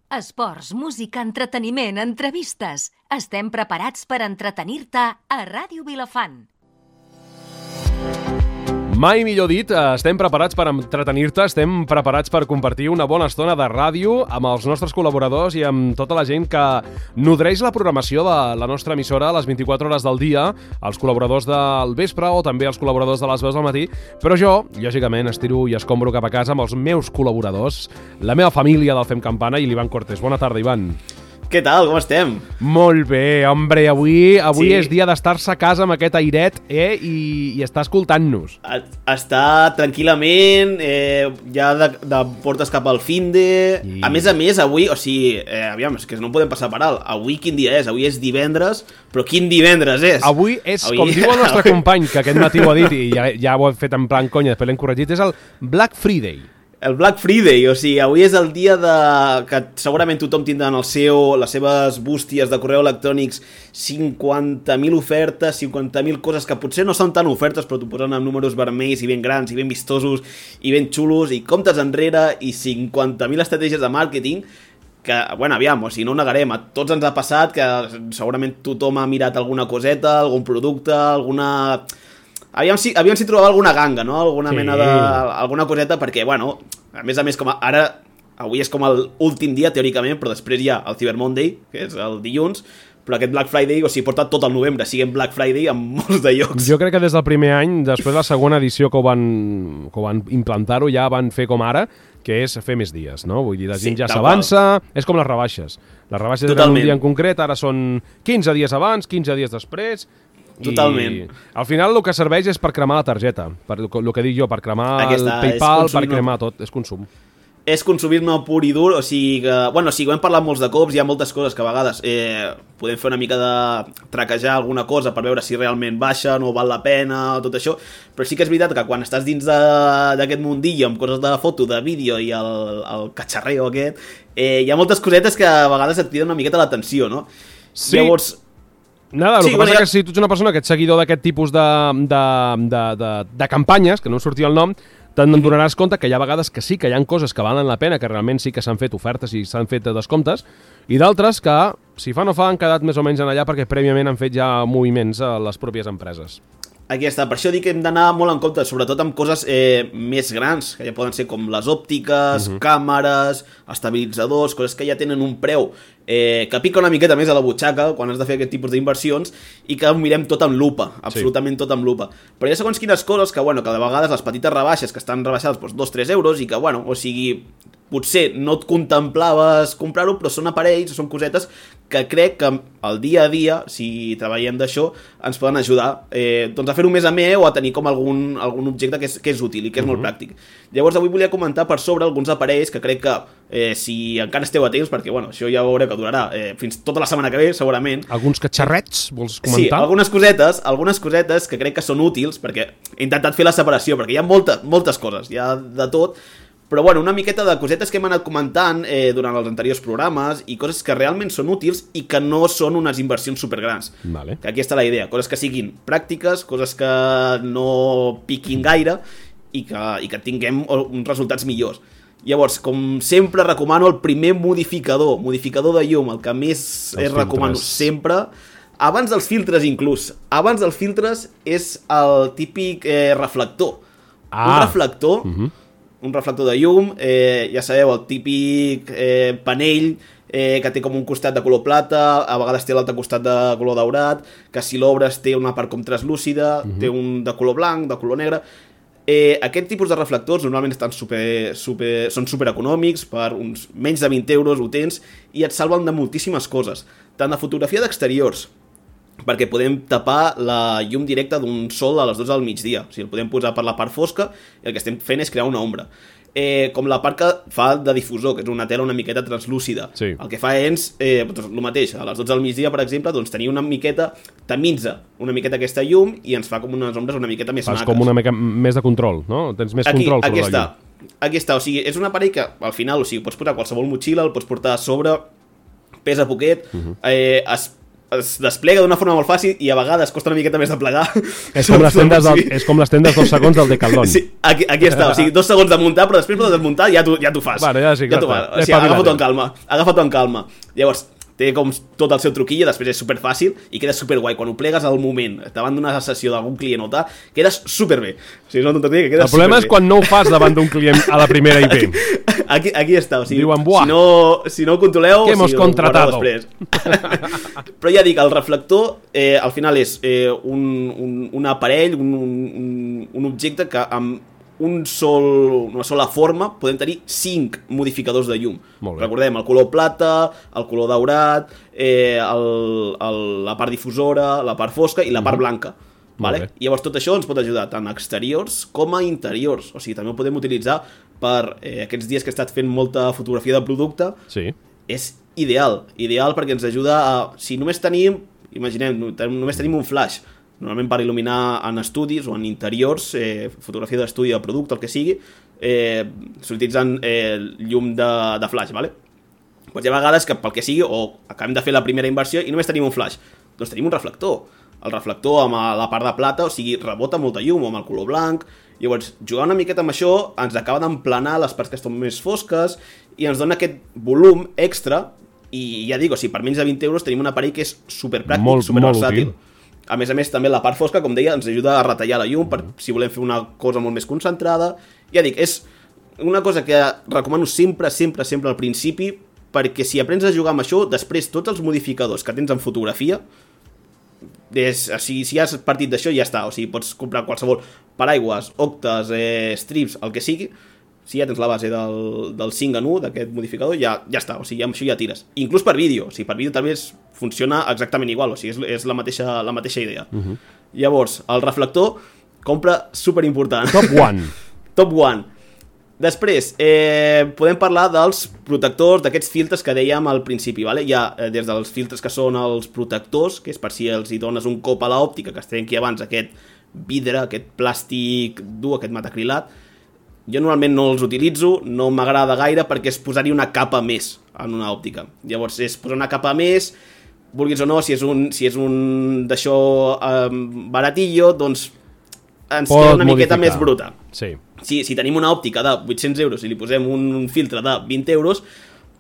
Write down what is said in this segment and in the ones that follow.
Esports, música, entreteniment, entrevistes. Estem preparats per entretenir-te a Ràdio Vilafant. Mai millor dit, estem preparats per entretenir-te, estem preparats per compartir una bona estona de ràdio amb els nostres col·laboradors i amb tota la gent que nodreix la programació de la nostra emissora a les 24 hores del dia, els col·laboradors del vespre o també els col·laboradors de les veus del matí, però jo, lògicament, estiro i escombro cap a casa amb els meus col·laboradors, la meva família del Fem Campana i l'Ivan Cortés. Bona tarda, Ivan. Què tal? Com estem? Molt bé, hombre, avui Sí. és dia d'estar-se a casa amb aquest airet i estar escoltant-nos. Està tranquil·lament, ja de portes cap al finde. I- A més, avui, o sigui, aviam, és que no podem passar per alt. Avui quin dia és? Avui és divendres, però quin divendres és? Avui és, com diu el nostre company, que aquest matí ho ha dit i ja ho he fet en plan conya, després l'hem corregit, és el Black Friday. El Black Friday, o sigui, avui és el dia que segurament tothom tindrà en les seves bústies de correu electrònics 50.000 ofertes, 50.000 coses que potser no són tan ofertes, però t'ho posen amb números vermells i ben grans i ben vistosos i ben xulos i comptes enrere i 50.000 estratègies de màrqueting que, bueno, aviam, o sigui, no ho negarem, a tots ens ha passat que segurament tothom ha mirat alguna coseta, algun producte, alguna... Aviam si trobava alguna ganga, no? Alguna mena de... alguna coseta, perquè, bueno, a més, com ara... Avui és com l'últim dia, teòricament, però després hi ha el Cyber Monday, que és el dilluns, però aquest Black Friday, o sigui, porta tot el novembre, siguem Black Friday en molts de llocs. Jo crec que des del primer any, després de la segona edició que ho van implantar-ho, ja van fer com ara, que és fer més dies, no? Vull dir, la gent ja s'avança, és com les rebaixes. Les rebaixes eren un dia en concret, ara són 15 dies abans, 15 dies després... Totalment. I al final el que serveix és per cremar la targeta, per el que dic jo, per cremar el PayPal, per cremar tot, és consum. És consumisme pur i dur, o sigui que... Bueno, ho hem parlat molts de cops, hi ha moltes coses que a vegades podem fer una mica de traquejar alguna cosa per veure si realment baixa, no val la pena, tot això, però sí que és veritat que quan estàs dins d'aquest mundillo amb coses de foto, de vídeo i el catxarreo aquest, hi ha moltes cosetes que a vegades et criden una miqueta l'atenció, no? Sí. Llavors... Nada, el que passa que si tu ets una persona que ets seguidor d'aquest tipus de campanyes, que no em sortia el nom, te'n donaràs compte que hi ha vegades que sí, que hi ha coses que valen la pena, que realment sí que s'han fet ofertes i s'han fet descomptes, i d'altres que, si fa no fa, han quedat més o menys en allà perquè prèviament han fet ja moviments a les pròpies empreses. Aquí està, per això dic que hem d'anar molt en compte, sobretot amb coses més grans, que ja poden ser com les òptiques, càmeres, estabilitzadors, coses que ja tenen un preu que pica una miqueta més a la butxaca quan has de fer aquest tipus d'inversions i que ho mirem tot amb lupa, absolutament tot amb lupa. Però hi ha segons quines coses que, bueno, que de vegades les petites rebaixes que estan rebaixades 2-3 euros i que, bueno, o sigui, potser no et contemplaves comprar-ho, però són aparells, són cosetes que crec que al dia a dia, si treballem d'això, ens poden ajudar doncs a fer-ho més amè o a tenir com algun objecte que és útil i que és molt pràctic. Llavors avui volia comentar per sobre alguns aparells que crec que si encara esteu a temps, perquè bueno, això ja veureu que durarà fins tota la setmana que ve, segurament. Alguns catxarrets, vols comentar? Sí, algunes cosetes que crec que són útils, perquè he intentat fer la separació, perquè hi ha moltes coses, hi ha de tot. Però bueno, una miqueta de cosetes que hem anat comentant durant els anteriors programes i coses que realment són útils i que no són unes inversions supergrans. Vale. Que aquí està la idea, coses que siguin pràctiques, coses que no piquin gaire i que tinguem uns resultats millors. Llavors, com sempre recomano el primer modificador de llum, el que més recomano sempre, abans dels filtres inclús. Abans dels filtres és el típic reflector. Un reflector... Un reflector de llum, ja sabeu, el típic panell que té com un costat de color plata, a vegades té l'altre costat de color daurat, que si l'obres té una part com translúcida, té un de color blanc, de color negre. Aquest tipus de reflectors normalment estan són supereconòmics, per uns menys de 20 euros ho tens, i et salven de moltíssimes coses, tant de fotografia d'exteriors, perquè podem tapar la llum directa d'un sol a les 12 del migdia. O sigui, el podem posar per la part fosca i el que estem fent és crear una ombra. Com la part que fa de difusor, que és una tela una miqueta translúcida. Sí. El que fa és el mateix. A les 12 del migdia, per exemple, doncs tenir una miqueta, tamitza una miqueta aquesta llum i ens fa com unes ombres una miqueta més maques. Fas com una mica més de control, no? Tens més control sobre la llum. Aquí està, o sigui, és un aparell que al final, o sigui, pots posar qualsevol motxilla, el pots portar a sobre, pesa poquet, es desplega d'una forma molt fàcil i a vegades costa una miqueta més de plegar. És com les tendes 2 segons del Decathlon. Sí, aquí està, o sigui, 2 segons de muntar, però després de desmuntar ja t'ho fas. Vale, ja sí, clar. O sigui, agafa-t'ho amb calma. Llavors, té com tot el seu truquillo, després és superfàcil i queda superguai. Quan ho plegues al moment, davant d'una sessió d'algun client o tal, quedes superbé. O sigui, és una tonteria que quedes superbé. El problema és quan no ho fas davant d'un client a la primera i bé. Aquí està, o sigui, diuen, buah, si no ho controleu, que hemos contratado. Però ja dic, el reflector al final és un aparell, un objecte que amb una sola forma podem tenir 5 modificadors de llum. Recordem, el color plata, el color daurat, la part difusora, la part fosca i la part blanca. Vale? I llavors tot això ens pot ajudar tant a exteriors com a interiors. O sigui, també ho podem utilitzar per aquests dies que he estat fent molta fotografia de producte. Sí. És ideal perquè ens ajuda a... Si només tenim, imaginem, només tenim un flash, normalment per il·luminar en estudis o en interiors, fotografia d'estudi de producte, el que sigui, s'utilitzen llum de flash, ¿vale? Pues hi ha vegades que pel que sigui, o acabem de fer la primera inversió i només tenim un flash, doncs tenim un reflector. El reflector amb la part de plata, o sigui, rebota molta llum, o amb el color blanc. Llavors, jugar una miqueta amb això ens acaba d'emplenar les parts que estan més fosques i ens dona aquest volum extra. I ja dic, o sigui, per menys de 20 euros tenim un aparell que és superpràctic, superversàtil. A més, també la part fosca, com deia, ens ajuda a retallar la llum per si volem fer una cosa molt més concentrada. Ja dic, és una cosa que recomano sempre al principi, perquè si aprens a jugar amb això, després tots els modificadors que tens en fotografia, si has partit d'això ja està, o sigui, pots comprar qualsevol paraigües, octes, strips, el que sigui. Si ja tens la base del 5 en 1 d'aquest modificador, ja està, o sigui, amb això ja tires. Inclús per vídeo, o sigui, per vídeo també funciona exactament igual, o sigui, és la mateixa idea. Llavors, el reflector, compra superimportant. Top one. Després, podem parlar dels protectors, d'aquests filtres que dèiem al principi, ¿vale? Hi ha des dels filtres que són els protectors, que és per si els hi dones un cop a l'òptica, que es trenqui abans aquest vidre, aquest plàstic dur, aquest matacrilat. Jo normalment no els utilitzo, no m'agrada gaire perquè és posar-hi una capa més en una òptica. Llavors és posar una capa més, vulguis o no, si és un d'això baratillo, doncs ens queda una miqueta més bruta. Sí. Si tenim una òptica de 800 euros i li posem un filtre de 20 euros,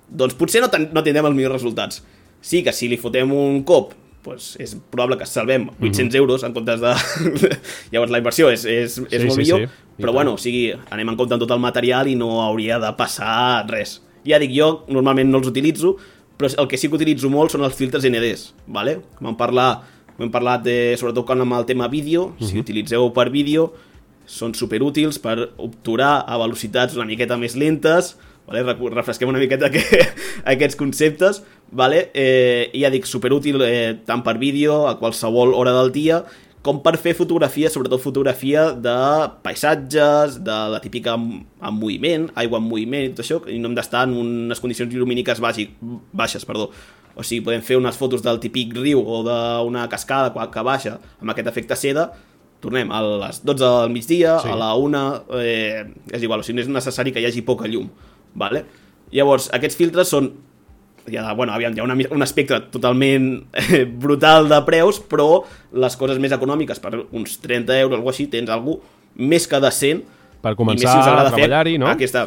doncs potser no tindrem els millors resultats. Sí que si li fotem un cop, doncs és probable que salvem 800 euros en comptes de... Llavors la inversió és molt millor, però bueno, o sigui, anem en compte amb tot el material i no hauria de passar res. Ja dic, jo normalment no els utilitzo, però el que sí que utilitzo molt són els filtres NDs, ¿vale? Hem parlat sobretot amb el tema vídeo, si utilitzeu per vídeo, són superútils per obturar a velocitats una miqueta més lentes, vale? Refresquem una miqueta aquests conceptes, vale? I ja dic, superútil tant per vídeo, a qualsevol hora del dia, com per fer fotografia, sobretot fotografia de paisatges, de la típica en moviment, aigua en moviment i tot això, i no hem d'estar en unes condicions llumíniques baixes. O sigui, podem fer unes fotos del típic riu o d'una cascada que baixa amb aquest efecte seda. Tornem a les 12 del migdia, a la 1, és igual, o sigui, no és necessari que hi hagi poca llum, vale? Llavors, aquests filtres són... Hi ha un espectre totalment brutal de preus, però les coses més econòmiques, per uns 30 euros o alguna així, tens alguna més que decent. Per començar a treballar-hi, no? Aquí està,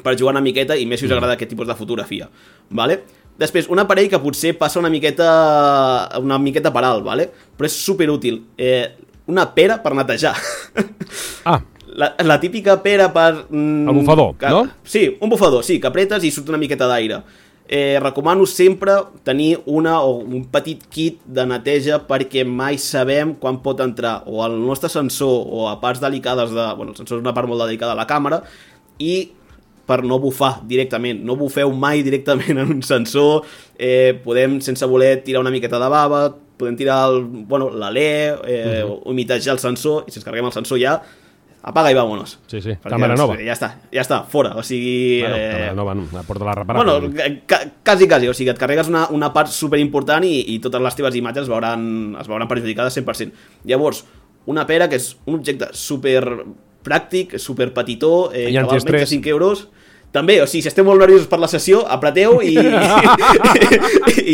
per jugar una miqueta i més si us agrada aquest tipus de fotografia, vale? Després, un aparell que potser passa una miqueta per alt, vale? Però és superútil. Una pera per netejar. La típica pera per... El bufador, no? Sí, un bufador, sí, que apretes i surt una miqueta d'aire. Recomano sempre tenir un petit kit de neteja perquè mai sabem quan pot entrar o al nostre sensor o a parts delicades el sensor és una part molt delicada de la càmera, i per no bufar directament, no bufeu mai directament en un sensor. Podem sense voler tirar una miqueta de bava, podem tirar l'alè, humitejar el sensor, i si ens carreguem el sensor ja apaga i vámonos. Sí, càmera nova. Ja està, fora. O sigui... càmera nova, no, porta-la reparada. Quasi, o sigui, et carregues una part superimportant i totes les teves imatges es veuran perjudicades 100%. Llavors, una pera, que és un objecte super pràctic, super petitó, que val menys de 5 euros, També, o sigui, si esteu molt nerviosos per la sessió, apreteu i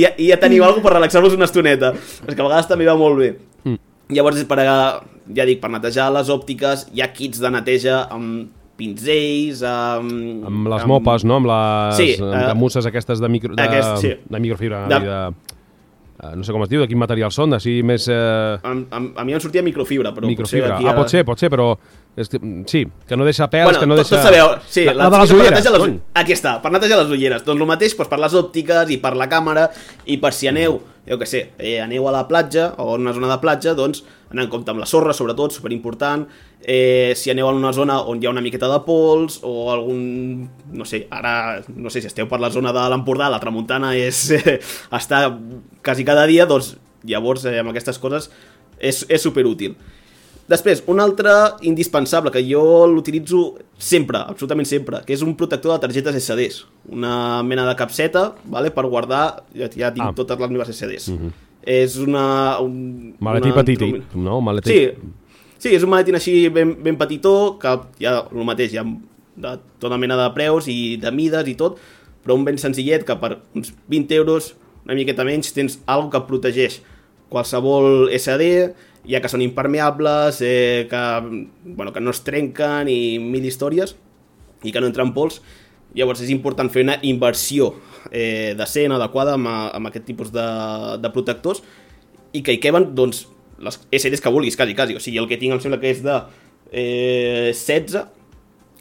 ja teniu alguna per relaxar-vos una estoneta. És que a vegades també va molt bé. Llavors, per netejar les òptiques, hi ha kits de neteja amb pinzells, amb les mopes, no? Amb les musses aquestes de microfibra, no sé com es diu, de quin material són, així més... A mi em sortia microfibra, però microfibra. Pot ser, però... Sí, que no deixa pèls, que no deixa... Tots sabeu, sí, la de les ulleres. Aquí està, per netejar les ulleres. Doncs el mateix per les òptiques i per la càmera i per si aneu, jo què sé, aneu a la platja o a una zona de platja, doncs anar en compte amb la sorra, sobretot, superimportant. Si aneu a una zona on hi ha una miqueta de pols o algun... No sé, ara, no sé si esteu per la zona de l'Empordà, la tramuntana està quasi cada dia, doncs llavors amb aquestes coses és superútil. Després, un altre indispensable, que jo l'utilitzo sempre, absolutament sempre, que és un protector de targetes SDs. Una mena de capseta, vale, per guardar, ja tinc totes les meves SDs. És un maletí petit, no? Sí, és un maletín així ben petitó, que hi ha el mateix, hi ha de tota mena de preus i de mides i tot, però un ben senzillet que per uns 20 euros, una miqueta menys, tens alguna que protegeix qualsevol SD, ja que són impermeables, que no es trenquen i mil històries, i que no entren pols. Llavors és important fer una inversió decent, adequada amb aquest tipus de protectors, i que hi queben doncs, les SDs que vulguis, quasi. O sigui, el que tinc em sembla que és de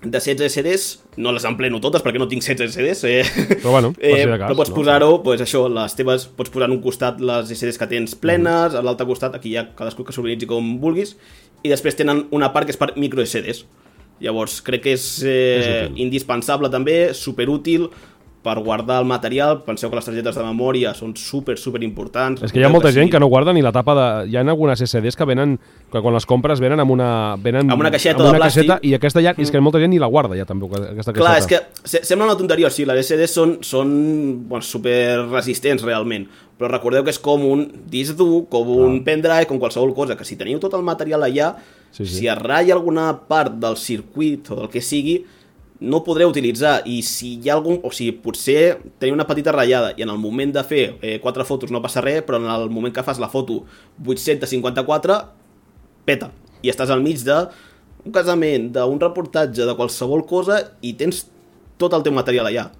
16 SDs, no les empleno totes perquè no tinc 16 SDs, però bueno, per si de cas, però pots posar-ho, les teves, pots posar en un costat les SDs que tens plenes, a l'altre costat, aquí hi ha cadascú que s'organitzi com vulguis, i després tenen una part que és per micro SDs. Llavors crec que és indispensable també, superútil per guardar el material. Penseu que les targetes de memòria són super importants. És que hi ha molta gent que no guarda ni la tapa de... Hi ha algunes SDs que venen, que quan les compres venen amb una caixeta de plàstic. I aquesta ja, és que molta gent ni la guarda ja també, aquesta caixeta. Clar, és que sembla una tonteria, o sigui, les SDs són super resistents realment, però recordeu que és com un disc dur, com un pendrive, com qualsevol cosa, que si teniu tot el material allà, si es ratlla alguna part del circuit o del que sigui, no podreu utilitzar, i si hi ha algun... O sigui, potser teniu una petita ratllada i en el moment de fer 4 fotos no passa res, però en el moment que fas la foto 854, peta. I estàs al mig d'un casament, d'un reportatge, de qualsevol cosa, i tens tot el teu material allà.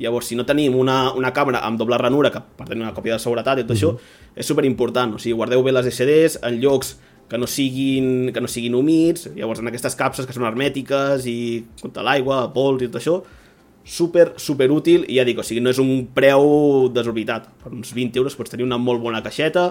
Llavors, si no tenim una càmera amb doble ranura, que per tenir una còpia de seguretat i tot això, és superimportant. O sigui, guardeu bé les SDs en llocs que no siguin humits, llavors en aquestes capses que són hermètiques i contra l'aigua, pols i tot això, super útil, i ja dic, o sigui, no és un preu desorbitat. Per uns 20 euros pots tenir una molt bona caixeta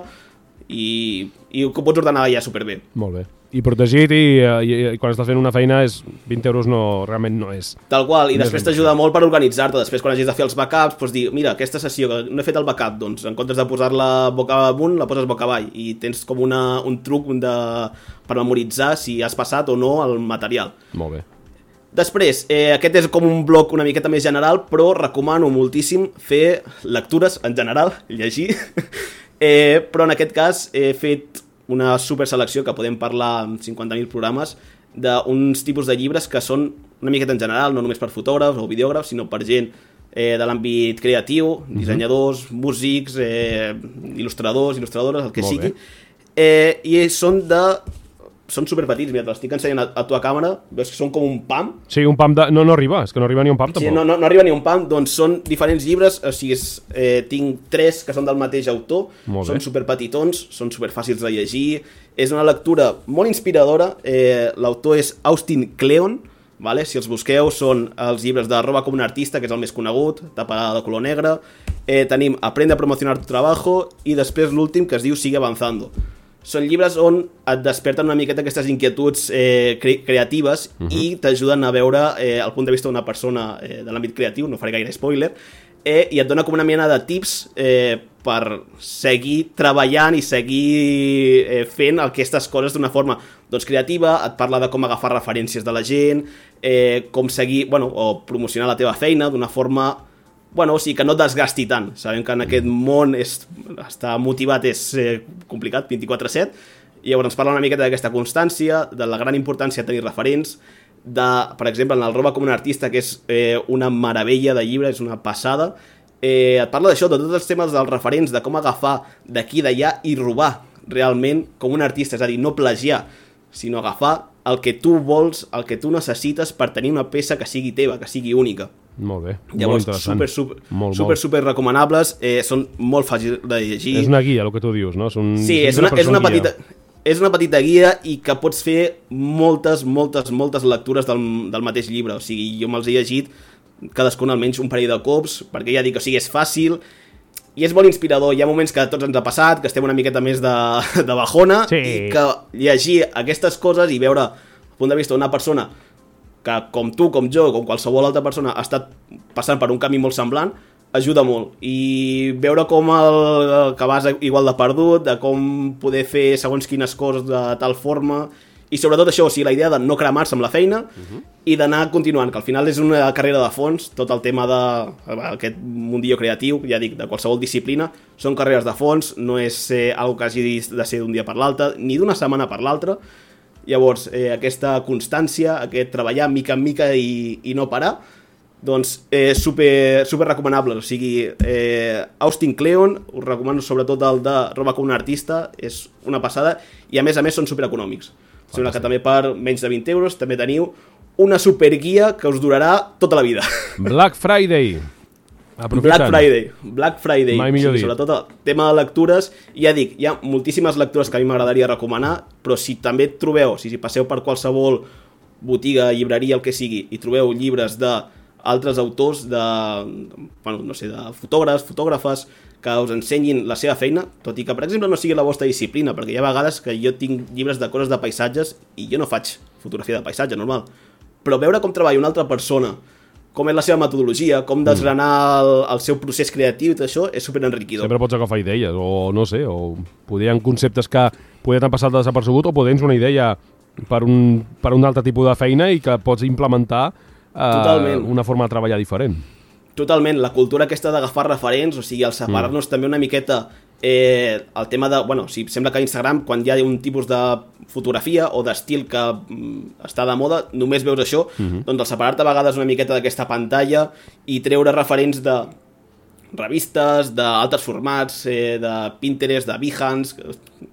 i ho pots ordenar ja superbé. Molt bé. I protegit, i quan estàs fent una feina, 20 euros realment no és. Tal qual, i després t'ajuda molt per organitzar-te. Després, quan hagis de fer els backups, pots dir, mira, aquesta sessió que no he fet el backup, doncs en comptes de posar-la boca amunt, la poses boca avall, i tens com un truc per memoritzar si has passat o no el material. Molt bé. Després, aquest és com un bloc una miqueta més general, però recomano moltíssim fer lectures en general, llegir, però en aquest cas he fet una super selecció que podem parlar amb 50.000 programes d'uns tipus de llibres que són una miqueta en general, no només per fotògrafs o videògrafs, sinó per gent de l'àmbit creatiu, dissenyadors, músics, il·lustradors, il·lustradores, el que sigui. I són superpetits, mira, te l'estic ensenyant a tu a càmera, veus que són com un pam. Sí, un pam no arriba, és que no arriba ni un pam tampoc. Sí, no arriba ni un pam, doncs són diferents llibres, o sigui, tinc 3 que són del mateix autor, són superpetitons, són superfàcils de llegir, és una lectura molt inspiradora, l'autor és Austin Kleon, vale? Si els busqueu són els llibres de Roba com un artista, que és el més conegut, tapa de color negre, tenim Aprende a promocionar tu trabajo, i després l'últim que es diu Sigue avanzando. Són llibres on et desperten una miqueta aquestes inquietuds creatives i t'ajuden a veure el punt de vista d'una persona de l'àmbit creatiu, no faré gaire spoiler, i et dona com una mena de tips per seguir treballant i seguir fent aquestes coses d'una forma creativa. Et parla de com agafar referències de la gent, com seguir, o promocionar la teva feina d'una forma... o sigui, que no et desgasti tant. Sabem que en aquest món estar motivat és complicat, 24/7, i llavors ens parla una miqueta d'aquesta constància, de la gran importància de tenir referents, per exemple, en el Roba com un artista, que és una meravella de llibre, és una passada, et parla d'això, de tots els temes dels referents, de com agafar d'aquí i d'allà i robar realment com un artista, és a dir, no plagiar, sinó agafar el que tu vols, el que tu necessites per tenir una peça que sigui teva, que sigui única. Molt bé, llavors, molt interessant. super recomanables, són molt fàcils de llegir. És una guia, el que tu dius, no? Sí, és una petita guia i que pots fer moltes lectures del mateix llibre. O sigui, jo me'ls he llegit cadascun almenys un parell de cops, perquè ja dic, o sigui, és fàcil i és molt inspirador. Hi ha moments que a tots ens ha passat, que estem una miqueta més de bajona, sí. I que llegir aquestes coses i veure el punt de vista d'una persona que com tu, com jo, com qualsevol altra persona ha estat passant per un camí molt semblant, ajuda molt. I veure com que vas igual de perdut, de com poder fer segons quines coses de tal forma, i sobretot això, o sigui, la idea de no cremar-se amb la feina i d'anar continuant, que al final és una carrera de fons, tot el tema d'aquest mundillo creatiu, ja dic, de qualsevol disciplina, són carreres de fons, no és algo que hagi de ser d'un dia per l'altre, ni d'una setmana per l'altra. Llavors, aquesta constància, aquest treballar mica en mica i no parar, doncs super recomanable. O sigui, Austin Kleon, us recomano sobretot el de Roba com un artista, és una passada, i a més són supereconòmics. Sembla que també per menys de 20 euros també teniu una superguia que us durarà tota la vida. Black Friday. Black Friday. Mai millor dit. Sobretot el tema de lectures, ja dic, hi ha moltíssimes lectures que a mi m'agradaria recomanar, però si també trobeu, si passeu per qualsevol botiga, llibreria, el que sigui, i trobeu llibres d'altres autors, de fotògrafes, que us ensenyin la seva feina, tot i que, per exemple, no sigui la vostra disciplina, perquè hi ha vegades que jo tinc llibres de coses de paisatges i jo no faig fotografia de paisatge, normal. Però veure com treballa una altra persona, com és la seva metodologia, com desgranar el seu procés creatiu i tot això, és superenriquidor. Sempre pots agafar idees, o no sé, o poder hi ha conceptes que poder t'han passat desapercebut, o poder una idea per un altre tipus de feina i que pots implementar una forma de treballar diferent. Totalment, la cultura aquesta d'agafar referents, o sigui, el separar-nos també una miqueta el tema de... Bueno, si sembla que a Instagram, quan hi ha un tipus de fotografia o d'estil que està de moda, només veus això, doncs el separar-te a vegades una miqueta d'aquesta pantalla i treure referents de revistes, d'altres formats, de Pinterest, de Behance,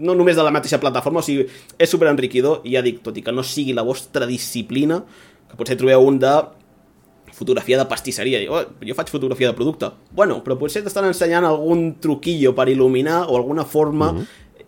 no només de la mateixa plataforma, o sigui, és superenriquidor, i ja dic, tot i que no sigui la vostra disciplina, que potser trobeu un de fotografia de pastisseria, jo faig fotografia de producte, bueno, però potser t'estan ensenyant algun truquillo per il·luminar o alguna forma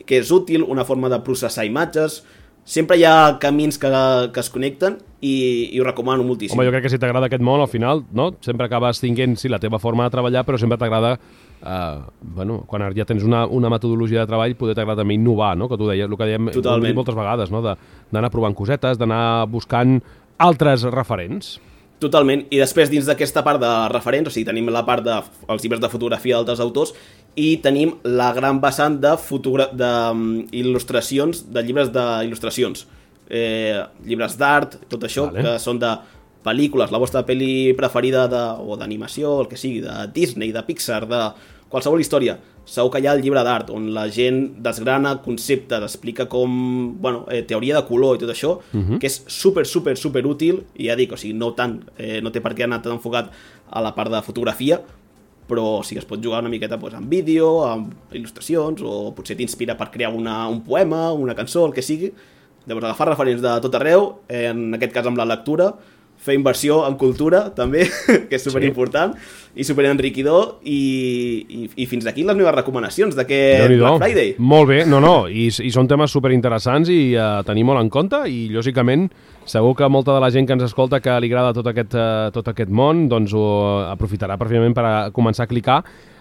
que és útil, una forma de processar imatges. Sempre hi ha camins que es connecten i ho recomano moltíssim. Home, jo crec que si t'agrada aquest món, al final, no? Sempre acabes tinguent, sí, la teva forma de treballar, però sempre t'agrada, quan ja tens una metodologia de treball, poder t'agrada també innovar, no? Que tu deies, el que dèiem moltes vegades, no? D'anar provant cosetes, d'anar buscant altres referents. Totalment, i després dins d'aquesta part de referents, o sigui, tenim la part dels llibres de fotografia d'altres autors i tenim la gran vessant d'il·lustracions, de llibres d'il·lustracions, llibres d'art, tot això, que són de pel·lícules, la vostra pel·li preferida o d'animació, el que sigui, de Disney, de Pixar, de qualsevol història. Segur que hi ha el llibre d'art, on la gent desgrana conceptes, explica com, teoria de color i tot això, que és super útil, i ja dic, o sigui, no tant, no té per què anar tan enfocat a la part de fotografia, però sí que es pot jugar una miqueta amb vídeo, amb il·lustracions, o potser t'inspira per crear un poema, una cançó, el que sigui. Llavors, agafar referents de tot arreu, en aquest cas amb la lectura, fer inversió en cultura, també, que és superimportant, i superenriquidor, i fins aquí les meves recomanacions d'aquest Black Friday. Molt bé, i són temes superinteressants i a tenir molt en compte, i lògicament segur que molta de la gent que ens escolta que li agrada tot aquest món, doncs ho aprofitarà perfectament per començar a clicar.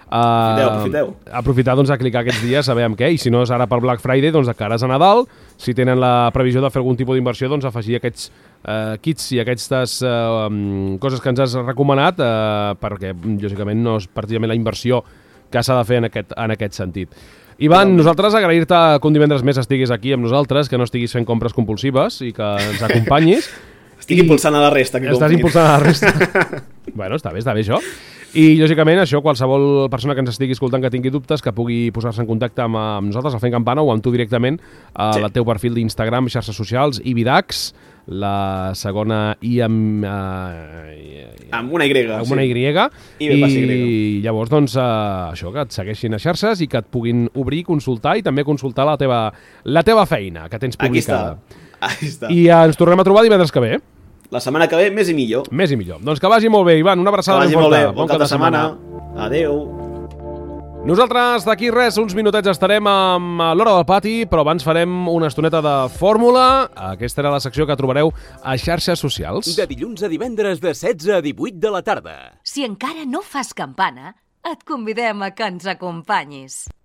Aprofiteu. Aprofitar a clicar aquests dies, saber amb què, i si no és ara per Black Friday, doncs de cares a Nadal, si tenen la previsió de fer algun tipus d'inversió, doncs afegir aquests kits i aquestes coses que ens has recomanat, perquè lògicament no és precisament la inversió que s'ha de fer en aquest sentit. Ivan, nosaltres agrair-te que un divendres més estiguis aquí amb nosaltres, que no estiguis fent compres compulsives i que ens acompanyis. Estic impulsant a la resta. Estàs impulsant a la resta. Bueno, està bé això. I, lògicament, això, qualsevol persona que ens estigui escoltant que tingui dubtes, que pugui posar-se en contacte amb nosaltres, a Fent Campana, o amb tu directament, al teu perfil d'Instagram, xarxes socials, Ibidax, la segona I amb... amb una Y. Amb una Y. I llavors, doncs, això, que et segueixin a xarxes i que et puguin obrir, consultar i també consultar la teva feina que tens publicada. Aquí està. I ens tornem a trobar divendres que ve. La setmana que ve, més i millor. Més i millor. Doncs que vagi molt bé, Ivan. Una abraçada ben forta. Que vagi molt bé. Bon cap de setmana. Adéu. Nosaltres d'aquí res, uns minutets estarem amb l'Hora del Pati, però abans farem una estoneta de fórmula. Aquesta era la secció que trobareu a xarxes socials. De dilluns a divendres de 16 a 18 de la tarda. Si encara no fas campana, et convidem a que ens acompanyis.